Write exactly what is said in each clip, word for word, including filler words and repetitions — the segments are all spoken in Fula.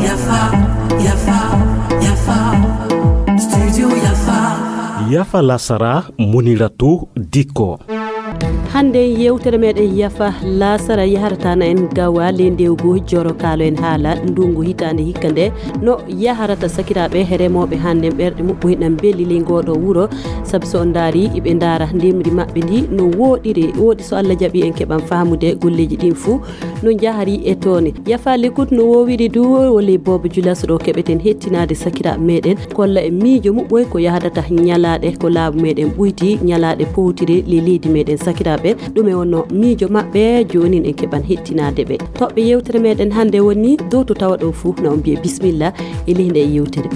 Yafa, yafa, yafa. Studio yafa. Yafa lasara, Muniratu Dikko. Hannde yewtere meɗen yafa lasara yaharata na en gawa le ndewgu joro kalo en haala ndungu hitande hikka nde no yaharata sakiraɓe remoɓe hannde ɓerɗe muɓɓoy na mbeli le ngoɗo wuro. Sabu so on ndaari iɓe ndaara ndemri maɓɓe ndi no woɗiri woɗi so Allah jaɓi en keɓan fahamude golleji ɗin fuu no njahari e toone. Yafa l'écoute no wowiri du wole Bobo Julas ɗo keɓeten hettinaade sakiraaɓe meɗen kolla e miijo muɓɓoy ko yahdata ñalaɗe ko laabu meɗen ɓuyti ñalaɗe powtiri le leydi meɗen sakiraaɓe. Ɗum e wonno miijo maɓɓe jonin en keɓan hettinaade ɓe. Toɓɓe yewtere meɗen hannde woni dow to tawa ɗo fuu na on mbiye bismillah e leydi e yewtere.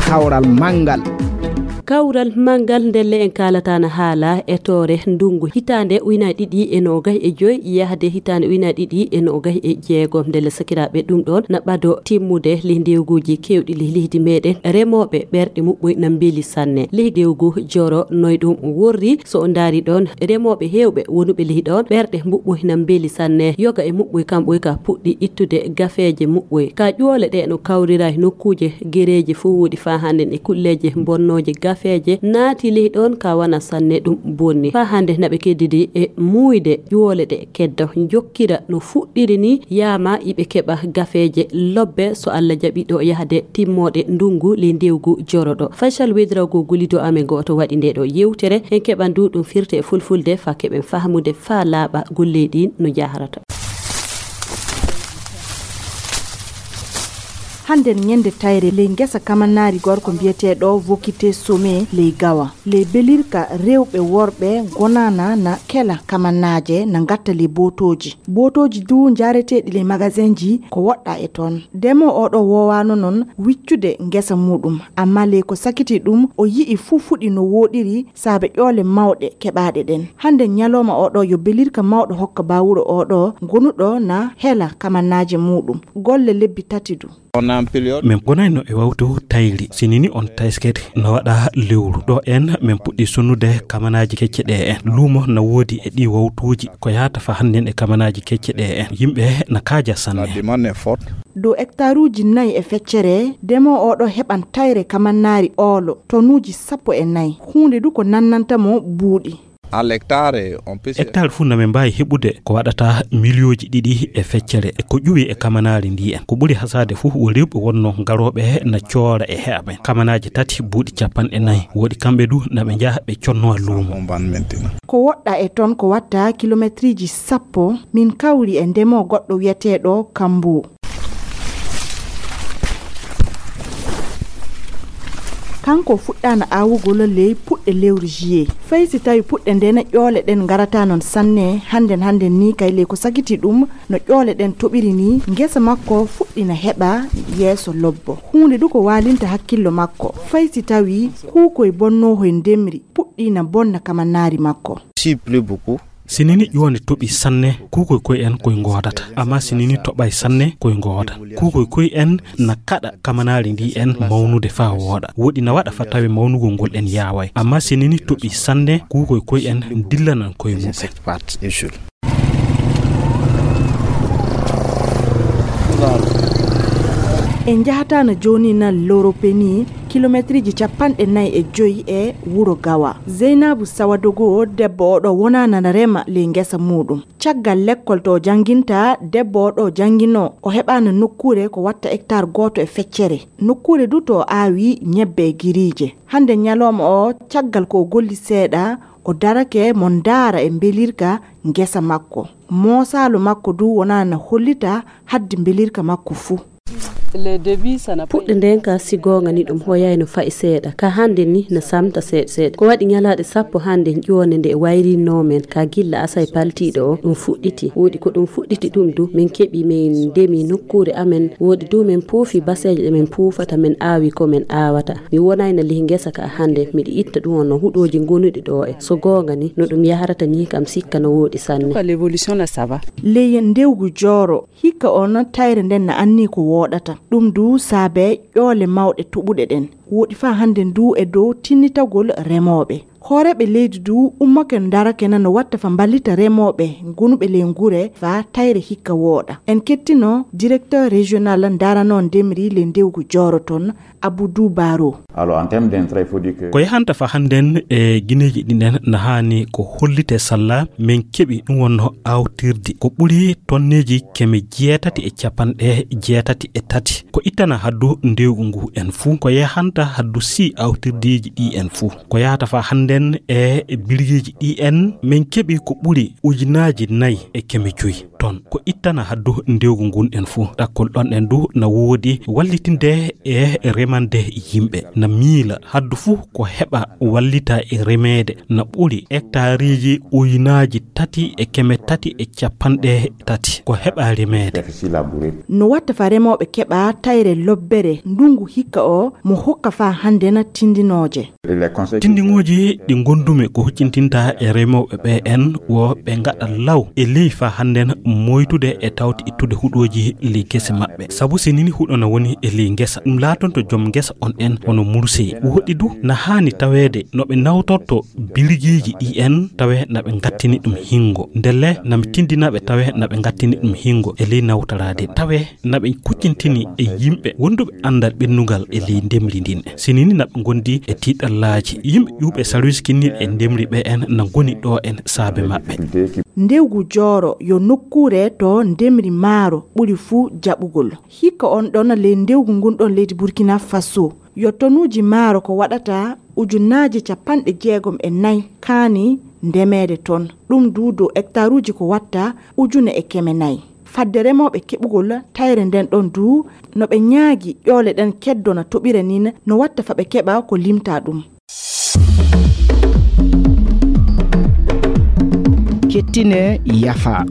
Kawral manngal. Kawral manngal ndelle en kaalata na haala e toore ndungu hitaande ujunaaji ɗiɗi e noogay e joy yahde hitaande ujunaaji ɗiɗi e noogay e jeego. Ndelle sakiraaɓe ɗum ɗoon na ɓado timmude le ndewguuji keewɗi le leydi meɗen remooɓe ɓerɗe muɓɓoy na mbeli sanne. Le ndewgu joro noy ɗum worri so o ndaari ɗoon remooɓe heewɓe wonuɓe le ɗoon ɓerɗe muɓɓoy na mbeli sanne. Yoga e muɓɓoy kamɓoy ka puɗɗi ittude gafeeje muɓɓoy ka ƴoole ɗe no kawrira e nokkuuje gereeje fof woɗi faa hannden e kulleeje bonnooje gafeeje naati ley ɗoon ka wana sanne ɗum bonni faa hannde naɓe keddidi e muuyde ƴoole ɗe kedda jokkira no fuɗɗiri ni yaama iɓe keɓa gafeeje lobbe so Allah jaɓi ɗo yahde timmooɗe ndungu ley ndewgu joroɗo. Faysal Wedirago golido amen gooto waɗi nde ɗo yewtere en keɓan du ɗum firte e fulfulde faa keɓen fahmude faa laaɓa golley ɗin no jaharata. Hannden ñande tayre ley ngesa kamanaari gorko mbiyeteeɗo Vokite Some ley Gawa. Ley belirka rewɓe worɓe gonana na kela kamanaaje na ngatta ley bootooji. Bootooji du njaareteeɗi ley magasinji ko woɗɗa e toon. Demo oɗo woowaano noon wiccude ngesa muuɗum, amma ley ko sakiti ɗum o yi'i fuu fuɗi no wooɗiri saabe ƴoole mawɗe keɓaaɗe ɗen. Hannde ñalooma oɗo yo belirka mawɗo hokka baa wuro oɗo gonuɗo na hela kamannaaje muuɗum. Golle lebbi tati du. Min gonayno e wawtu tayri sinini on tayskete no waɗa lewru ɗo en min puɗɗi sonnude kamanaaji kecce ɗe en luumo na woodi e ɗi wawtuuji ko yahata fa hannden e kamanaaji kecce ɗe en yimɓe na kaaja sanne. Dow hektaruuji nayi e feccere, demoo oɗo heɓan tayre kamannaari oolo, tonuuji sappo e nayi. Huunde du ko nannanta mo buuɗi. Hectare fuu na min mbaawi heɓude ko waɗata miliyooji ɗiɗi e feccere. Ko ƴuwi e kamanaari ndi en. Ko ɓuri hasaade fuu wo rewɓe wonno garooɓe na coora e heɓa men. Kamanaaji tati buuɗi capanɗe nayi. Woɗi kamɓe du na ɓe njaha ɓe connowa luumo. Ko woɗɗa e toon ko watta kilometriiji sappo, min kawri e ndemoo goɗɗo wiyeteeɗo Kambu. Kanko fuɗɗaana aawugol ley puɗɗe lewru juillet. Fay si tawi puɗɗe ndena ƴoole ɗen ngarata non sanne, hannden hannden ni kay ley ko sagiti ɗum, no ƴoole ɗen toɓiri ni, ngesa makko fuɗɗina heɓa yeeso lobbo. Huunde du ko waalinta hakkillo makko, fay si tawi kuukoy bonnoohoy ndemri puɗɗiina bonna kamannaari makko. Sinini ƴoone toɓi sanne, kuukoy koy en koy ngoodata. Amma sinini toɓay sanne, koy ngooda. Kuukoy koy en na kaɗa kamanaari ndi en mawnude faa wooɗa. Woɗi na waɗa fa tawe mawnugol ngol en yaaway. Amma sinini toɓi sanne, kuukoy koy en dillanan koy mumen. En njahataano jooni na Loropeni, kilometriiji capanɗe nayi e joyi e wuro Gawa. Zeynabu Sawadogo, debbo oɗo wonaana na rema ley ngesa muuɗum. Caggal lekkol to o jannginta, debbo oɗo jannginoo, o heɓaano nokkuure ko watta hektaar gooto e feccere. Nokkuure du to o aawi ñebbe e giriije. Hannde ñalooma o, caggal ko o golli seeɗa, o darake mo ndaara e mbelirka ngesa makko. Moosaalo makko du wonaana hollita haddi mbelirka makko fuu. Puɗɗe nden ka si goonga ni ɗum hoyayno fa'i seeɗa. Ka hannde ni na samta seeɗa seeɗa. Ko waɗi ñalaaɗe sappo hannde ƴoone nde wayrinoo men ka gilla asay paltiiɗo o ɗum fuɗɗiti. Woɗi ko ɗum fuɗɗiti ɗum du min keɓi min ndemi nokkuure amen. Woɗi du min puufi baseeje ɗe min puufata min aawi ko min aawata. Mi wonayno lih ngesa ka hannde miɗo itta ɗum on no huɗooji gonuɗi ɗo e. So goonga ni no ɗum yaharata ni kam sikka no woɗi sanne. Ley ndewgu jooro. Hikka on tayre nden na anni ko wooɗata. Ɗum du saabe ƴoole mawɗe toɓuɗe ɗen. Woɗi faa hannden du e dow tinnitagol remooɓe. Hooreeɓe leydi du ummake ndarake na no watta fa mballita remooɓe gonuɓe ley ngure fa tayre hikka wooɗa. En kettino directeur régional ndarano ndemri ley ndewgu jooro ton, Abdou Baro. Alors, en termes d'entrée, il faut dire que ko yahanta fa hannden e gineeji ɗin en na haani ko hollite salla men keɓi ɗum wonno awtirdi ko ɓuri tonneeji keme jeetati e capanɗe jeetati e tati. Ko ittana haddu ndewgu ngu en fuu, ko yahanta haddu si awtirdiiji ɗi en fuu. Ko yahata fa hannden e birgeeji ɗi en men keɓi ko ɓuri ujunaaji nayi e keme joyi ton. Ko ittana haddu ndewgu ngun en fuu. Ɗakkol ɗon en du na woodi wallitinde e remande yimɓe. Na miila haddu fuu ko heɓa wallita e remeede na ɓuri hectareeji ujunaaji tati e keme tati e capanɗe tati ko heɓa remeede. No watta fa remooɓe keɓa tayre lobbere ndungu hikka o mo hokka fa hannden tindinooje. Tindiŋooji ɗi ngondumi ko huccintinta e remooɓe ɓe en wo ɓe ngaɗa law e ley fa hannden moytude e tawti ittude huɗooji ley gese maɓɓe. Sabu si nini huɗo na woni e ley ngesa, ɗum laatonto joom ngesa on en hono mursey. Woɗɗi du na haani taweede no ɓe nawtorto birgeeji ɗi en tawe na ɓe ngattini ɗum hingo. Ndelle na mi tindina ɓe tawe na ɓe ngattini ɗum hingo e ley nawtaraade tawe na ɓe kuccintini e yimɓe wonduɓe anndal ɓennungal e ley ndemri ndin. Sinini na ɓe ngondi e tiiɗallaaji. Yimɓe ƴuuɓe sarwis kinniiɗe e ndemri ɓe en na ngoni ɗo en saabe maɓɓe. Ndewgu jooro yo nokkuure to ndemri maaro ɓuri fuu jaɓugol. Hikka on ɗon ley ndewgu ngun ɗon leydi Burkina Faso. Yo tonuuji maaro ko waɗata ujunaaji capanɗe jeegom e nayi kaani ndemeede ton. Ɗum du dow hektaruuji ko watta ujune e keme nayi. Fadde remooɓe keɓugol tayre nden ɗon du, no ɓe ñaagi ƴoole ɗen keddo na toɓira nin, no watta fa ɓe keɓa ko limta ɗum. Kettine yafa.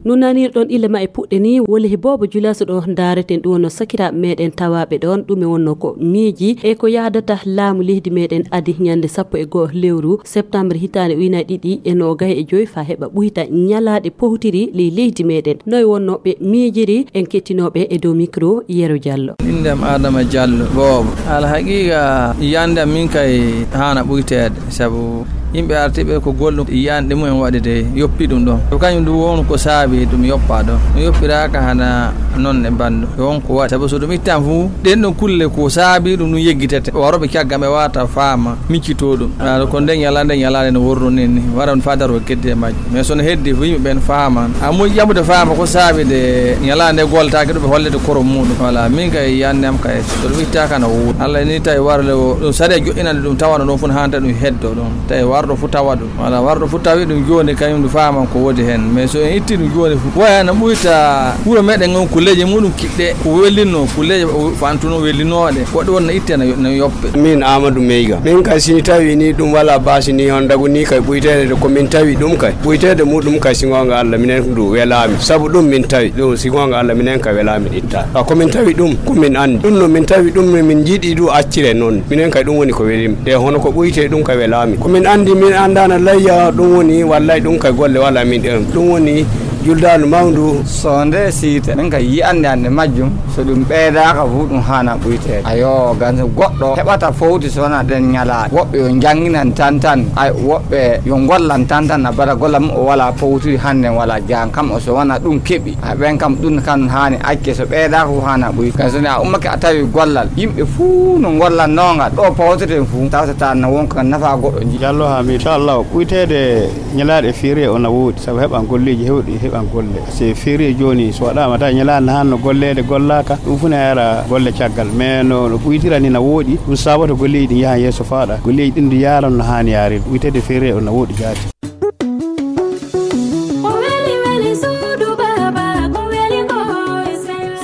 No nanirɗon ille ma e puɗɗe ni, wole he boobo julaso ɗo ndaareten ɗum wonno sakiraaɓe meɗen tawaaɓe ɗon, ɗum e wonno ko miiji e ko yahdata laamu leydi meɗen adi ñande sappo e go'o lewru septembre hitaande ujunaaji ɗiɗi e noogay e joy fa heɓa ɓuyta ñalaaɗe powtiri ley leydi meɗen. Noy wonno ɓe miijiri? En kettinooɓe e dow micro Yero Diallo. Innde am Adama Diallo, boobo. Alhaqiiqa, yiyannde am min kay haana ɓuyteede, sabu yimɓe artiiɓe ko gollum yiyaande mumen waɗi de yoppi ɗum ɗon. Ko kañum ɗum won ko saabi ɗum yoppa ɗon. Ɗum yoppiraaka hana noon e banndo. Ko won ko waɗi. Sabu so ɗum ittan fuu, ɗen ɗon kulle ko saabi ɗum ɗum yeggitete. Warooɓe caggal ɓe wata faama, miccito ɗum. Aɗa ko nden ñalaande, ñalaande no worru nin ni. Wara on faa daroo gedde e majje. Mais so no heddi fuu yimɓe ɓen faaman. A moƴƴi ƴamude faama ko saabi de ñalaande goltaaki ɗum ɓe hollete korom muɗum. Wala, min kay yiyannde am kay, so ɗum ittaaka na woodi. Allah ni tawi warle o, ɗum sariya joɗɗinande ɗum tawana ɗum fuu no haanta ɗum heddo ɗum. Tawi warɗo fuu tawa ɗum. Wala, warɗo fuu tawi ɗum jooni kañum ɗum faaman ko woodi hen. Mais so en itti ɗum jooni fuu, waya no ɓuyta wuro meɗen on ko leƴƴi muɗum kiɗɗe, ko wellinno, ko leƴƴi fantuno wellinooɗe. Ko ɗum wonna itte na, na yoppe. Min Amadou Meyga. Min kay sini tawi ni ɗum wala basi ni on dagu ni kay ɓuyteede de ko min tawi ɗum kay. Ɓuyteede muɗum kay si goonga Allah minen du welaami. Sabu ɗum min tawi ɗum si goonga Allah minen kay welaami itta. Ka ko min tawi ɗum ko min anndi. Ɗum no min tawi ɗum no min jiɗi du accire noon. Minen kay ɗum woni ko welim. De hono ko ɓuyte ɗum kay welaami. Ko min anndi min anndana layya ɗum woni wallay ɗum kay golle wala min ɗen. Ɗum woni juldaandu mawndu. So nde siite, min kay yi'annde annde majjum, so ɗum ɓeydaaka fu, ɗum haana ɓuyteede. Ayo, gan so goɗɗo heɓata fowti so wona ɗen ñalaaɗe. Woɓɓe yo njannginan tan tan, ay, woɓɓe yo ngollan tan tan, a bada golla mum o wala powtiri hannde wala jaan kam o so wona ɗum keɓi. A ɓen kam ɗum kan haani acce so ɓeydaaka fu haana ɓuy. Gan so ne a ummake a tawi gollal, yimɓe fuu no ngollan nongal, ɗo pawteten fuu, tawtata na wonka nafa goɗɗo ji. Jallo Hamid, inchallah, ɓuyteede Ñalaaɗe férié o na woodi, sabu heɓan golleeji heewɗi, heɓan golle. Se férié jooni, so waɗaama tawi ñalaande han no golleede gollaaka, ɗum fu ne ara golle caggal. Mais no, no ɓuytira ni na woodi, ɗum saabata golleeji ɗin yahan yeeso faaɗa. Golleeji ɗin du yaaran no haani yaarde. Ɓuyteede férié o na woodi jaati.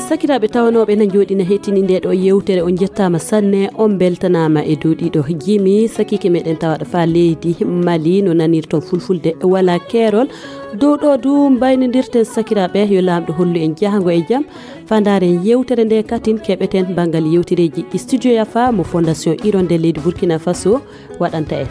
Sakiraaɓe tawanooɓe na njooɗina hettini nde ɗo yewtere, on njettaama sanne, on mbeltanaama e dow ɗiɗo jimi. Sakiike meɗen tawaɗo faa leydi Mali no nanirton fulfulde wala keerol. Dow ɗo du mbaynodirten sakiraaɓe, yo Laamɗo hollu en jahango e jam. Faa ndaaren yewtere nde katin keɓeten banngal yewtereeji ɗi Studio Yafa mo Fondation Hirondelle leydi Burkina Faso waɗanta en.